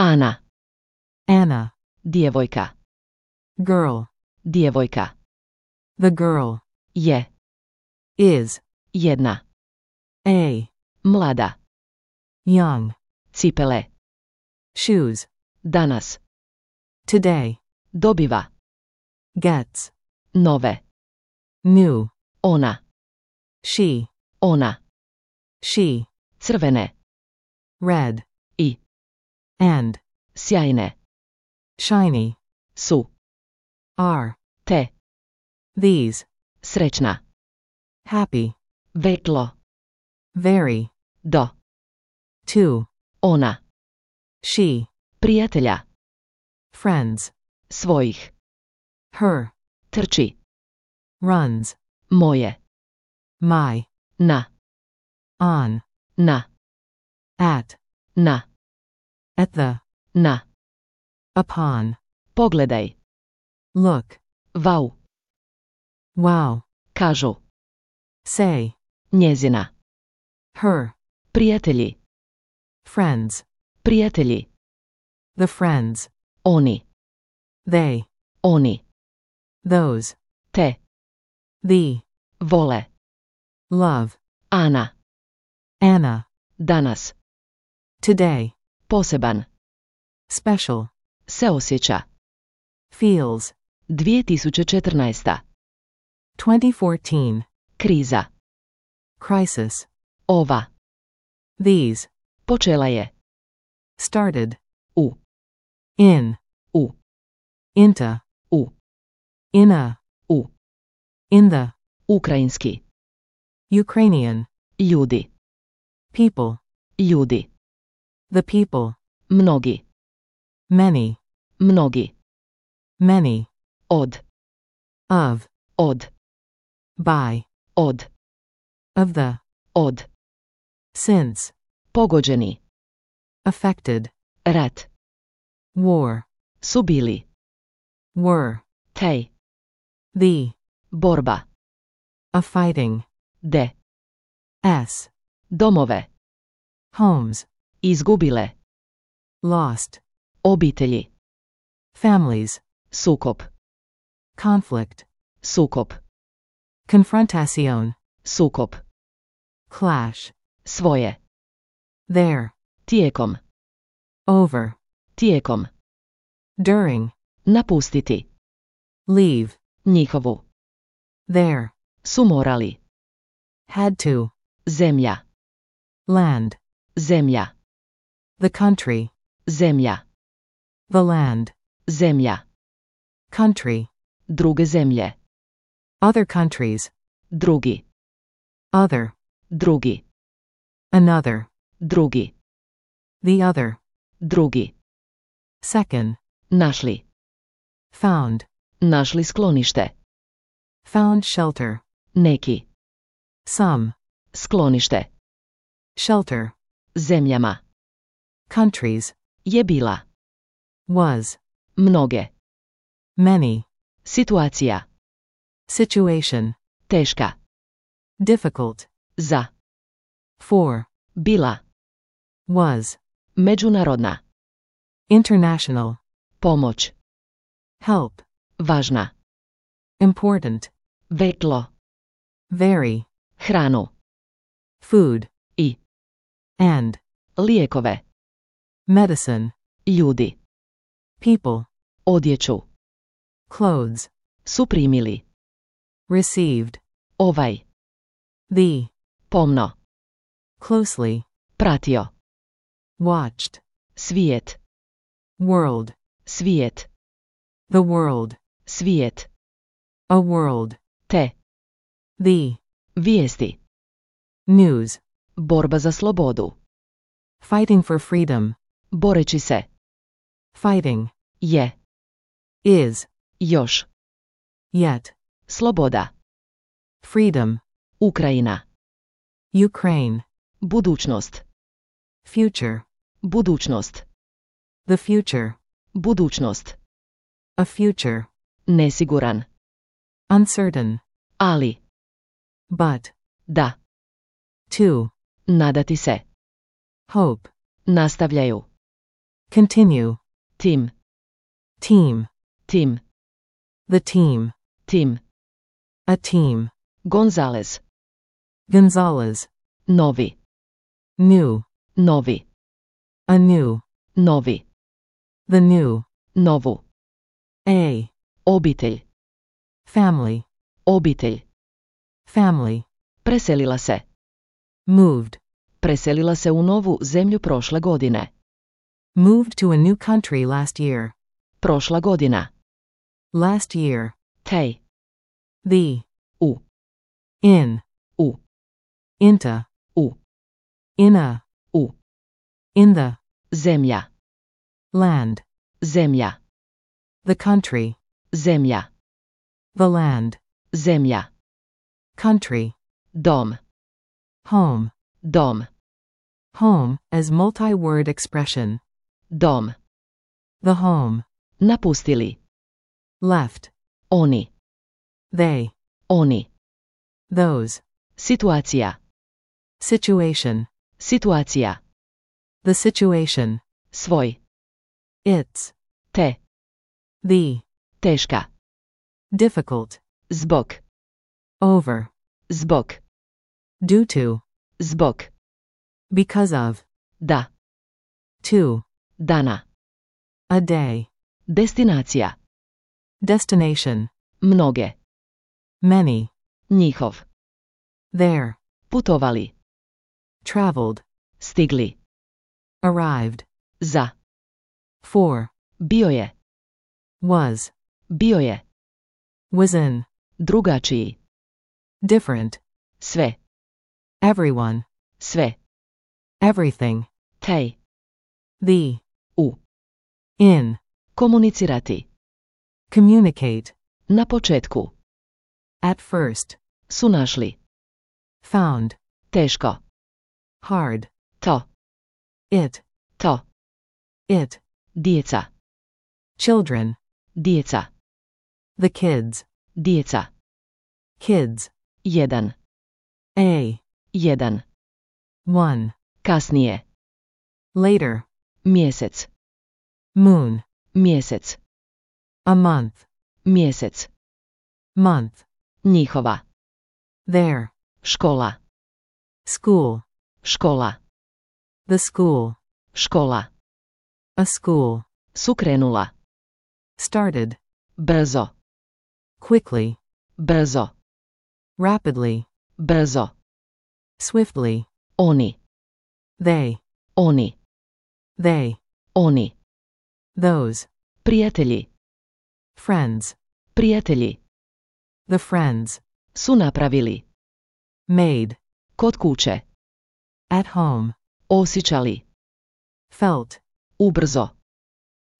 Ana. Anna. Djevojka. Girl. Djevojka. The girl. Je. Is. Jedna. A. Mlada. Young. Cipele. Shoes. Danas. Today. Dobiva. Gets. Nove. New. Ona. She. Ona. She. Crvene. Red. I. And. Sjajne. Shiny. Su. Are. Te. These. Srećna. Happy. Vetlo. Very. Do. Two. Ona. She. Prijatelja. Friends. Svojih. Her. Trči. Runs. Moje. My. Na. On. Na. At. Na. At the. Na. Upon. Pogledaj. Look. Vau. Wow. Kažu. Say. Njezina. Her. Prijatelji. Friends. Prijatelji. The friends. Oni. They. Oni. Those. Te. The. Vole. Love. Ana. Anna. Danas. Today. Poseban. Special. Se osjeća. Feels. 2014. 2014. Kriza. Crisis. Ova. These. Počela je. Started. U. In. U. Into. U. In a. U. In the. Ukrajinski. Ukrainian. Ljudi. People. Ljudi. The people. Mnogi. Many. Mnogi. Many. Od. Of. Od. By. Od. Of the. Od. Since. Pogođeni. Affected. Rat. War. Su bili. Were. Tej. The. Borba. A fighting. De. S. Domove. Homes. Izgubile. Lost. Obitelji. Families. Sukob. Conflict. Sukob. Confrontación. Sukob. Clash. Svoje. There. Tijekom. Over. Tijekom. During. Napustiti. Leave. Njihovu. There. Su morali. Had to. Zemlja. Land. Zemlja. The country. Zemlja. The land. Zemlja. Country. Druge zemlje. Other countries. Drugi. Other. Drugi. Another. Drugi. The other. Drugi. Second. Našli. Found. Našli sklonište. Found shelter. Neki. Some. Sklonište. Shelter. Zemljama. Countries. Je bila. Was. Mnoge. Many. Situacija. Situation. Teška. Difficult. Za. For. Bila. Was. Međunarodna. International. Pomoć. Help. Važna. Important. Vetlo. Very. Hranu. Food. I. And. Lijekove. Medicine. Ljudi. People. Odjeću. Clothes. Su primili. Received. Ovaj. The. Pomno. Closely. Pratio. Watched. Svijet. World. Svijet. The world. Svijet. A world. Te. The. Vijesti. News. Borba za slobodu. Fighting for freedom. Boreći se. Fighting. Je. Is. Još. Yet. Sloboda. Freedom. Ukrajina. Ukraine. Budućnost. Future. Budućnost. The future. Budućnost. A future. Nesiguran. Uncertain. Ali. But. Da. To. Nadati se. Hope. Nastavljaju. Continue. Tim. Team. Tim. The team. Tim. A team. Gonzalez. Gonzalez. Novi. New. Novi. A new. Novi. The new. Novu. A. Obitelj. Family. Obitelj. Family. Preselila se. Moved. Preselila se u novu zemlju prošle godine. Moved to a new country last year. Prošla godina. Last year. Tej. The. U. In. U. Into. U. In a. U. In the. Zemlja. Land. Zemlja. The country. Zemlja. The land. Zemlja. Country. Dom. Home. Dom. Home, as multi-word expression. Dom. The home. Napustili. Left. Oni. They. Oni. Those. Situacija. Situation. Situacija. The situation. Svoj. It's. Te. The. Teška. Difficult. Zbog. Over. Zbog. Due to. Zbog. Because of. Da. To. Dana. A day. Destinacija. Destination. Mnoge. Many. Njihov. There. Putovali. Traveled. Stigli. Arrived. Za. For. Bio je. Was. Bio je. Was in. Drugačiji. Different. Sve. Everyone. Sve. Everything. Tej. The. U. In. Komunicirati. Communicate. Na početku. At first. Su našli. Found. Teško. Hard. To. It. To. It. Djeca. Children. Djeca. The kids. Djeca. Kids. Jedan. A. Jedan. One. Kasnije. Later. Mjesec. Moon. Mjesec. A month. Mjesec. Month. Njihova. There. Škola. School. Škola. The school. Škola. A school. Sukrenula. Started. Brzo. Quickly. Brzo. Rapidly. Brzo. Swiftly. Oni. They. Oni. They. Oni. Those. Prijatelji. Friends. Prijatelji. The friends. Su napravili. Made. Kod kuće. At home. Osjećali. Felt. Ubrzo.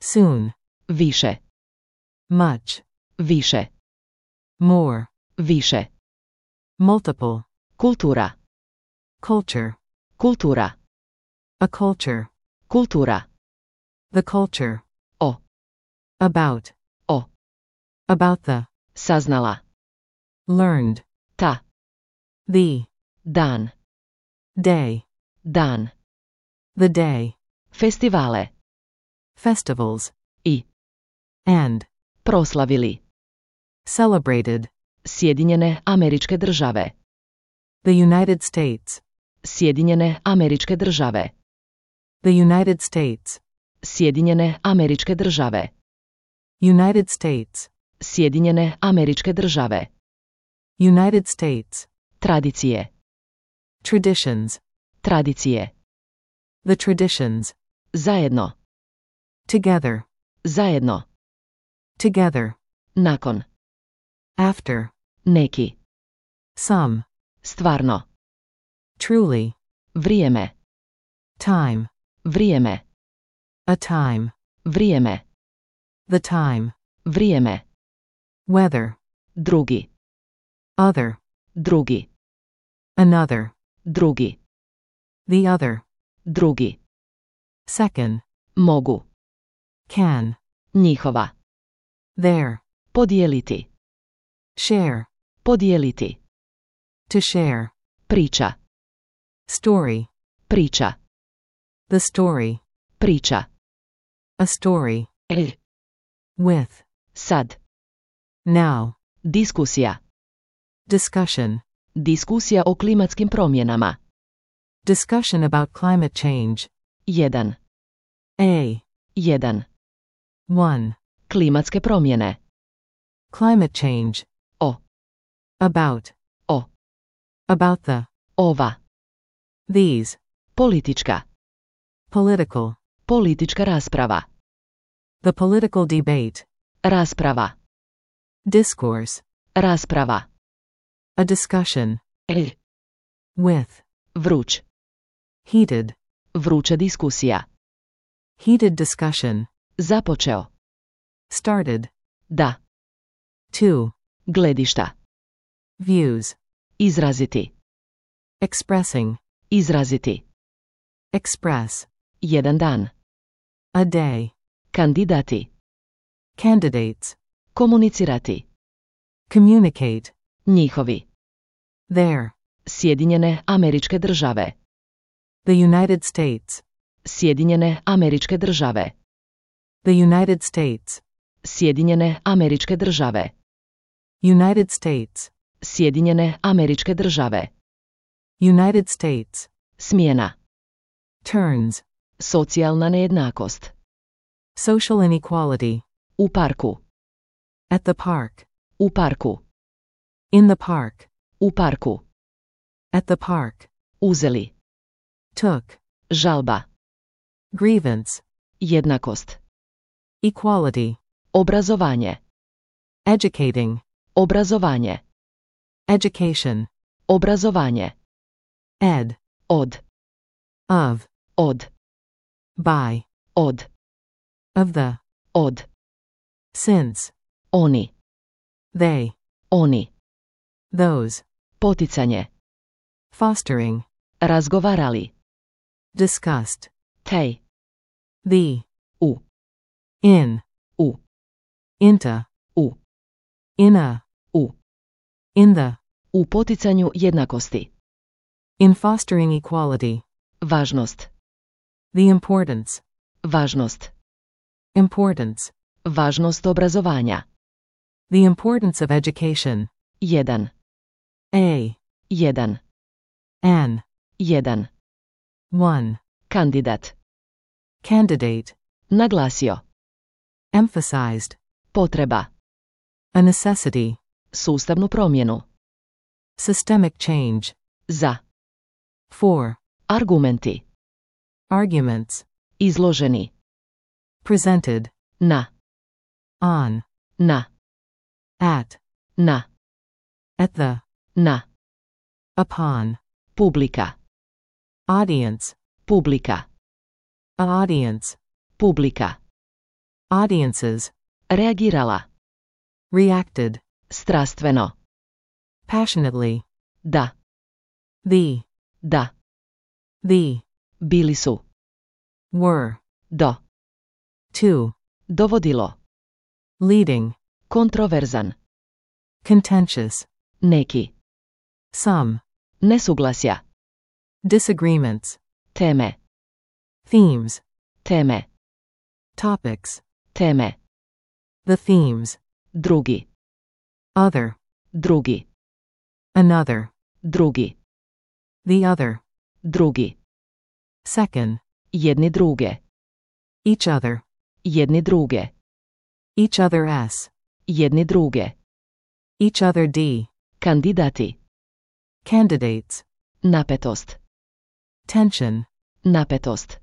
Soon. Više. Much. Više. More. Više. Multiple. Kultura. Culture. Kultura. A culture. Kultura. The culture. O. About. O. About the. Saznala. Learned. Ta. The. Dan. Day. Dan. The day. Festivale. Festivals. I. And. Proslavili. Celebrated. Sjedinjene Američke Države. The United States. Sjedinjene Američke Države. The United States. Sjedinjene Američke Države. United States. Sjedinjene Američke Države. United States. Tradicije. Traditions. Tradicije. The traditions. Zajedno. Together. Zajedno. Together. Nakon. After. Neki. Some. Stvarno. Truly. Vrijeme. Time. Vrijeme. A time. Vrijeme. The time. Vrijeme. Whether. Drugi. Other. Drugi. Another. Drugi. The other. Drugi. Second. Mogu. Can. Njihova. There. Podijeliti. Share. Podijeliti. To share. Priča. Story. Priča. The story. Priča. A story. With. Sad. Now. Diskusija. Discussion. Diskusija o klimatskim promjenama. Discussion about climate change. 1. A. 1. 1. Klimatske promjene. Climate change. O. About. O. About the. Ova. These. Politička. Political. Politička rasprava. The political debate. Rasprava. Discourse. Rasprava. A discussion. With. Vruć. Heated. Vruća diskusija. Heated discussion. Započeo. Started. Da. 2. Gledišta. Views. Izraziti. Expressing. Izraziti. Express. Jedan dan. A day. Kandidati. Candidates. Komunicirati. Communicate. Njihovi. There. Sjedinjene Američke Države. The United States. Sjedinjene Američke Države. The United States. Sjedinjene Američke Države. United States. Sjedinjene Američke Države. United States. Smjena. Turns. Socijalna nejednakost. Social inequality. U parku. At the park. U parku. In the park. U parku. At the park. Uzeli. Took. Žalba. Grievance. Jednakost. Equality. Obrazovanje. Educating. Obrazovanje. Education. Obrazovanje. Ed. Od. Of. Od. By. Od. Of the. Od. Since. Oni. They. Oni. Those. Poticanje. Fostering. Razgovarali. Discussed. Tej. The. U. In. U. Into. U. In a. U. In the. U poticanju jednakosti. In fostering equality. Važnost. The importance. Važnost. Importance. Važnost obrazovanja. The importance of education. 1. A. 1. An. 1. 1. Kandidat. Candidate. Naglasio. Emphasized. Potreba. A necessity. Sustavnu promjenu. Systemic change. Za. For. Argumenti. Arguments. Izloženi. Presented. Na. On. Na. At. Na. At the. Na. Upon. Publika. Audience. Publika. A audience. Publika. Audiences. Reagirala. Reacted. Strastveno. Passionately. Da. The. Da. The. Bili su. Were. Do. To. Dovodilo. Leading. Kontroverzan. Contentious. Neki. Some. Nesuglasja. Disagreements. Teme. Themes. Teme. Topics. Teme. The themes. Drugi. Other. Drugi. Another. Drugi. The other. Drugi. Second. Jedni druge. Each other. Jedni druge. Each other s. Jedni druge. Each other d. Kandidati. Candidates. Napetost. Tension. Napetost.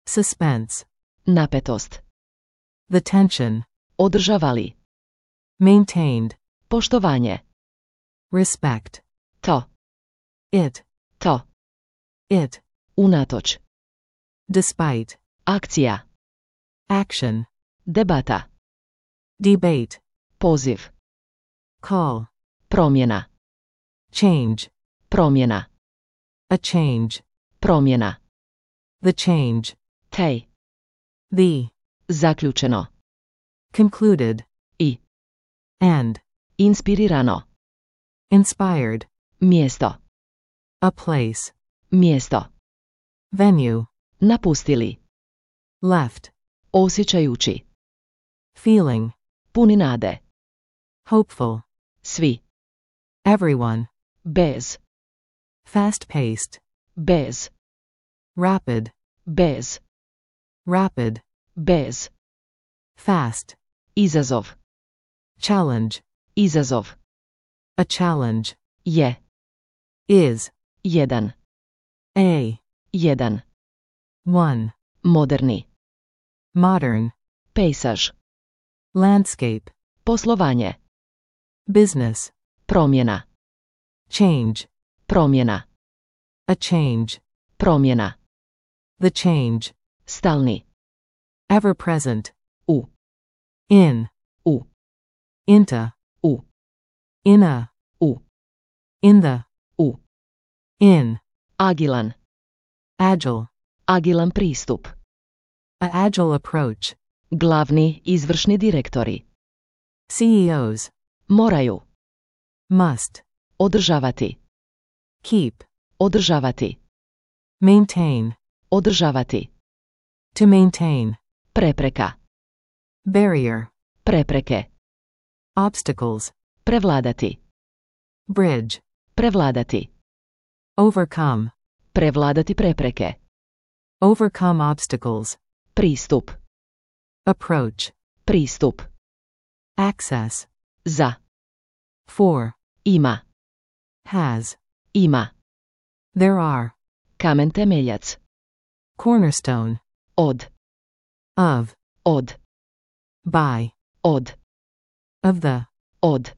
Suspense. Napetost. The tension. Održavali. Maintained. Poštovanje. Respect. To. It. To. It. Unatoč. Despite. Akcija. Action. Debata. Debate. Poziv. Call. Promjena. Change. Promjena. A change. Promjena. The change. Tej. The. Zaključeno. Concluded. I. And. Inspirirano. Inspired. Mjesto. A place. Mjesto. Venue. Napustili. Left. Osjećajući. feeling, Puni nade. hopeful, Svi. everyone, Bez. fast-paced, Bez. rapid, Bez. rapid, Bez. fast, Izazov. challenge, Izazov. a challenge, Je. is, Jedan. a, Jedan. one, Moderni. modern, Pejsaž. landscape, Poslovanje. business, Promjena. change, Promjena. a change, Promjena. the change, Stalni. ever present, U. in, U. into, U. in a, U. in the, U. in, Agilan. agile, Agilan pristup. a agile approach, Glavni izvršni direktori. CEOs, Moraju. must, Održavati. keep, Održavati. maintain, Održavati. to maintain, Prepreka. barrier, Prepreke. obstacles, Prevladati. bridge, Prevladati. overcome, Prevladati prepreke. overcome obstacles, Pristup. approach, Pristup. access, Za. for, Ima. has, Ima. there are, Kamen temeljac. cornerstone, Od. of, Od. by, Od. of the, Od.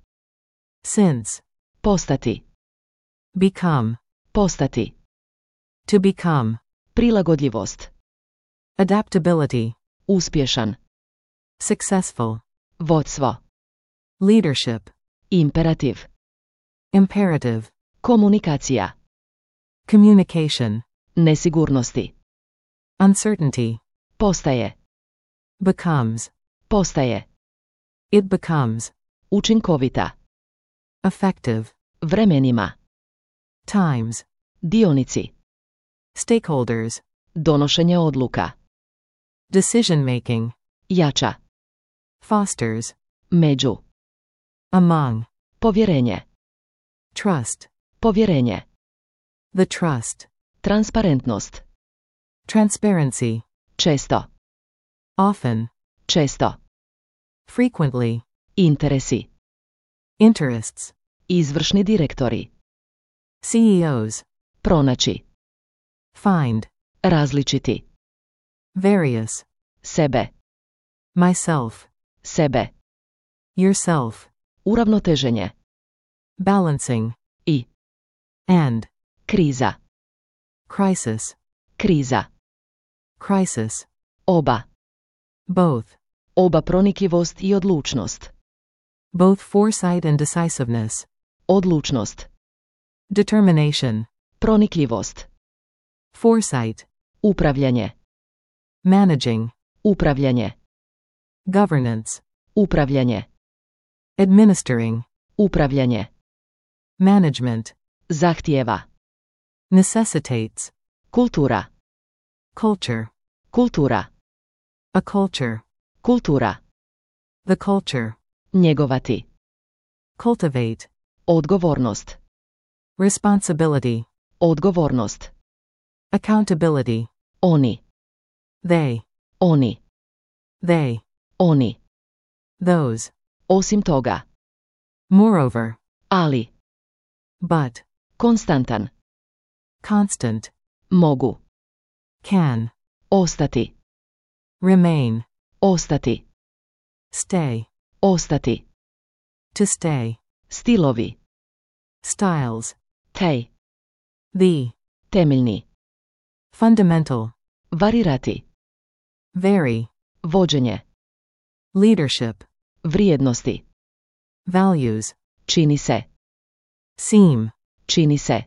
since, Postati. become, Postati. to become, Prilagodljivost. adaptability, Uspješan. successful, Vodstvo. leadership, Imperativ. imperative, Komunikacija. communication, Nesigurnosti. uncertainty, Postaje. becomes, Postaje. it becomes, Učinkovita. effective, Vremenima. times, Dionici. stakeholders, Donošenje odluka. decision making, Jača. fosters, Među. among, Povjerenje. trust, Povjerenje. the trust, Transparentnost. transparency, Često. often, Često. frequently, Interesi. interests, Izvršni direktori. CEOs, Pronaći. find, Različiti. various, Sebe. myself, Sebe. yourself, Uravnoteženje. balancing, I. and, Kriza. crisis, Kriza. crisis, Oba. both, Oba pronikljivost i odlučnost. both foresight and decisiveness, Odlučnost. determination, Pronikljivost. foresight, Upravljanje. managing, Upravljanje. governance, Upravljanje. administering, Upravljanje. management, Zahtijeva. necessitates, Kultura. culture, Kultura. a culture, Kultura. the culture, Njegovati. cultivate, Odgovornost. responsibility, Odgovornost. accountability, Oni. they, Oni. they, Oni. those, Osim toga. moreover, Ali. but, Konstantan. constant, Mogu. can, Ostati. remain, Ostati. stay, Ostati. to stay, Stilovi. styles, Tej. the, Temeljni. fundamental, Varirati. vary, Vođenje. leadership, Vrijednosti. values, Čini se. seem, Čini se.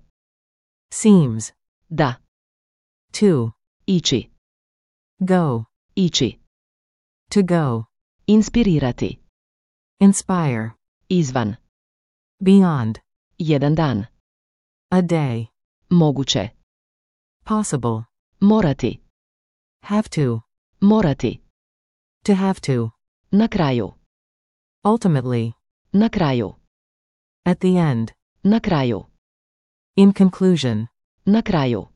seems, Da. to, Ići. go, Ići. to go, Inspirirati. inspire, Izvan. beyond, Jedan dan. a day, Moguće. possible, Morati. have to, Morati. To have to. Na kraju. Ultimately. Na kraju. At the end. Na kraju. In conclusion. Na kraju.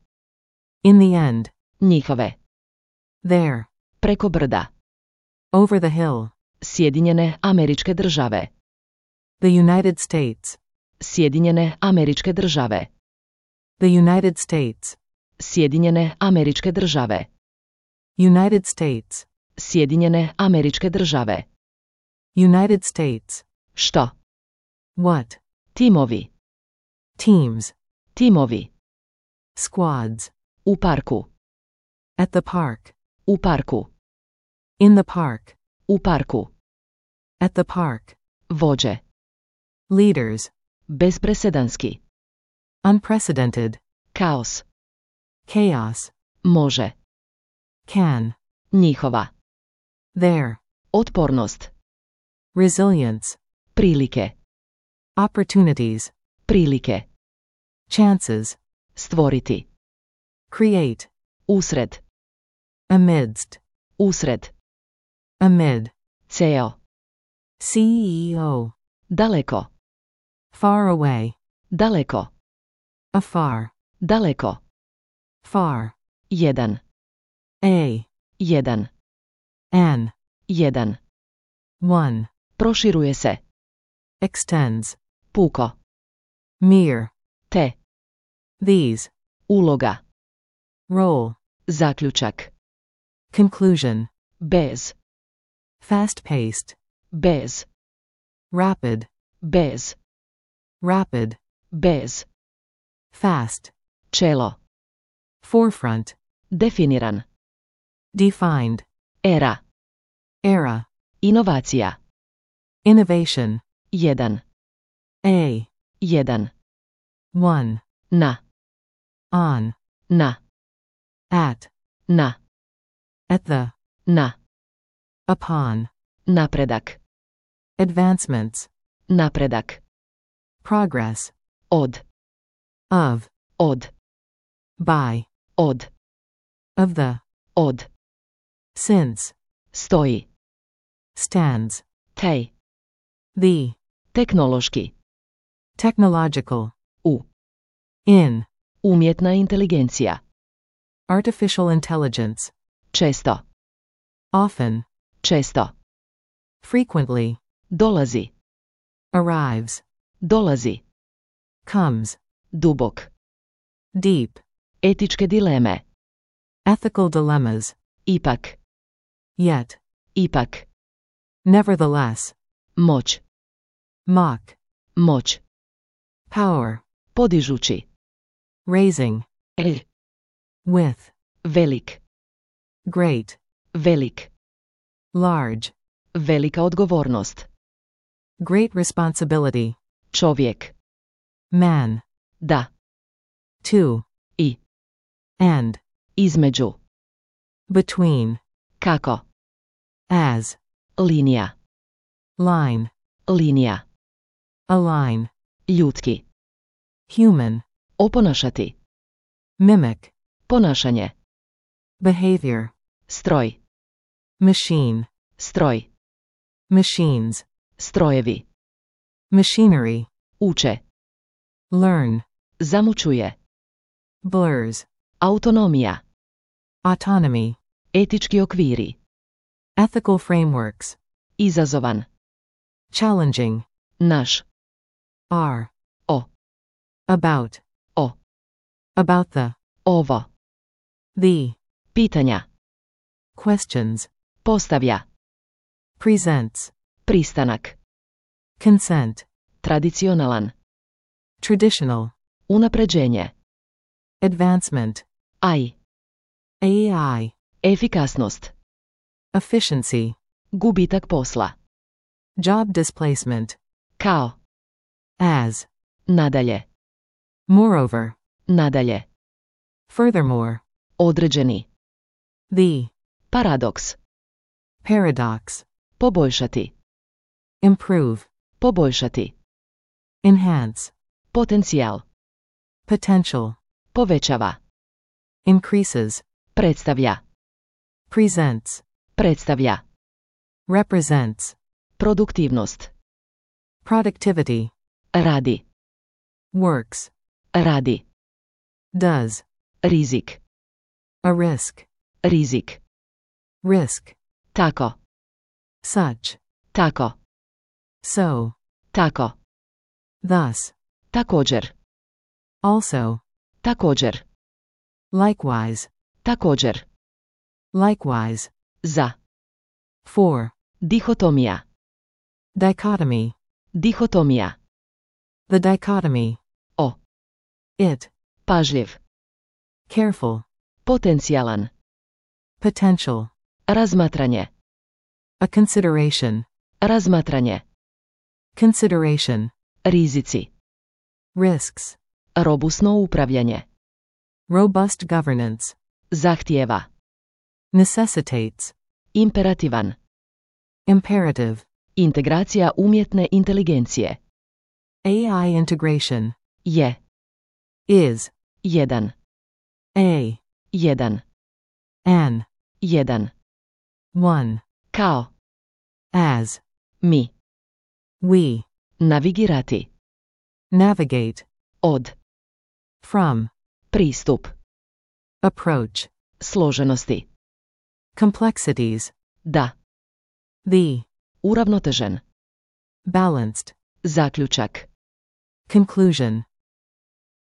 In the end. Njihove. There. Preko brda. Over the hill. Sjedinjene Američke Države. The United States. Sjedinjene Američke Države. The United States. Sjedinjene Američke Države. United States. Sjedinjene Američke Države. United States. Što? What? Timovi. Teams. Timovi. Squads. U parku. At the park. U parku. In the park. U parku. At the park. Vođe. Leaders. Bezpresedanski. Unprecedented. Kaos. Chaos. Može. Can. Njihova. There. Otpornost. Resilience. Prilike. Opportunities. Prilike. Chances. Stvoriti. Create. Usred. Amidst. Usred. Amid. CEO. CEO. Daleko. Far away. Daleko. Afar. Daleko. Far. Jedan. A. Jedan. An. Jedan. One. Proširuje se. Extends. Puko. Mere. Te. These. Uloga. Role. Zaključak. Conclusion. Bez. Fast-paced. Bez. Rapid. Bez. Rapid. Bez. Fast. Čelo. Forefront. Definiran. Defined. Era. Era. Inovacija. Innovation. Jedan. A. Jedan. One. Na. On. Na. At. Na. At the. Na. Upon. Napredak. Advancements. Napredak. Progress. Od. Of. Od. By. Od. Of the. Od. Since. Stoji. Stands. Tej. The. Teknološki. Technological. U. In. Umjetna inteligencija. Artificial intelligence. Često. Often. Često. Frequently. Dolazi. Arrives. Dolazi. Comes. Dubok. Deep. Etičke dileme. Ethical dilemmas. Ipak. Yet. Ipak. Nevertheless. Moć. Mock. Moć. Power. Podižući. Raising. With. Velik. Great. Velik. Large. Velika odgovornost. Great responsibility. Čovjek. Man. Da. To. I. And. Između. Between. Kako. As. Linija. Line. Linija. Align. Ljudski. Human. Oponašati. Mimic. Ponašanje. Behavior. Stroj. Machine. Stroj. Machines. Strojevi. Machinery. Uče. Learn. Zamućuje. Blurs. Autonomija. Autonomy. Etički okviri. Ethical frameworks. Izazovan. Challenging. Naš. Are. O. About. O. About the. Ovo. The. Pitanja. Questions. Postavlja. Presents. Pristanak. Consent. Tradicionalan. Traditional. Unapređenje. Advancement. AI. AI. Efikasnost. Efficiency. Gubitak posla. Job displacement. Kao. As. Nadalje. Moreover. Nadalje. Furthermore. Određeni. The. Paradoks. Paradox. Poboljšati. Improve. Poboljšati. Enhance. Potencijal. Potential. Povećava. Increases. Predstavlja. Presents. Predstavlja. represents, Produktivnost. productivity, Radi. works, Radi. does, Rizik. a risk, Rizik. risk, Tako. such, Tako. so, Tako. thus, Također. also, Također. likewise, Također. likewise, Za. for, Dihotomija. dichotomy, Dihotomija. the dichotomy, O. it, Pažljiv. careful, Potencijalan. potential, Razmatranje. a consideration, Razmatranje. consideration, Rizici. risks, Robusno upravljanje. robust governance, Zahtijeva. necessitates, Imperativan. imperative, Integracija umjetne inteligencije. AI integration, Je. is, Jedan. a, Jedan. an, Jedan. one, Kao. as, Mi. we, Navigirati. navigate, Od. from, Pristup. approach, Složenosti. complexities, Da. the, Uravnotežen. balanced, Zaključak. conclusion,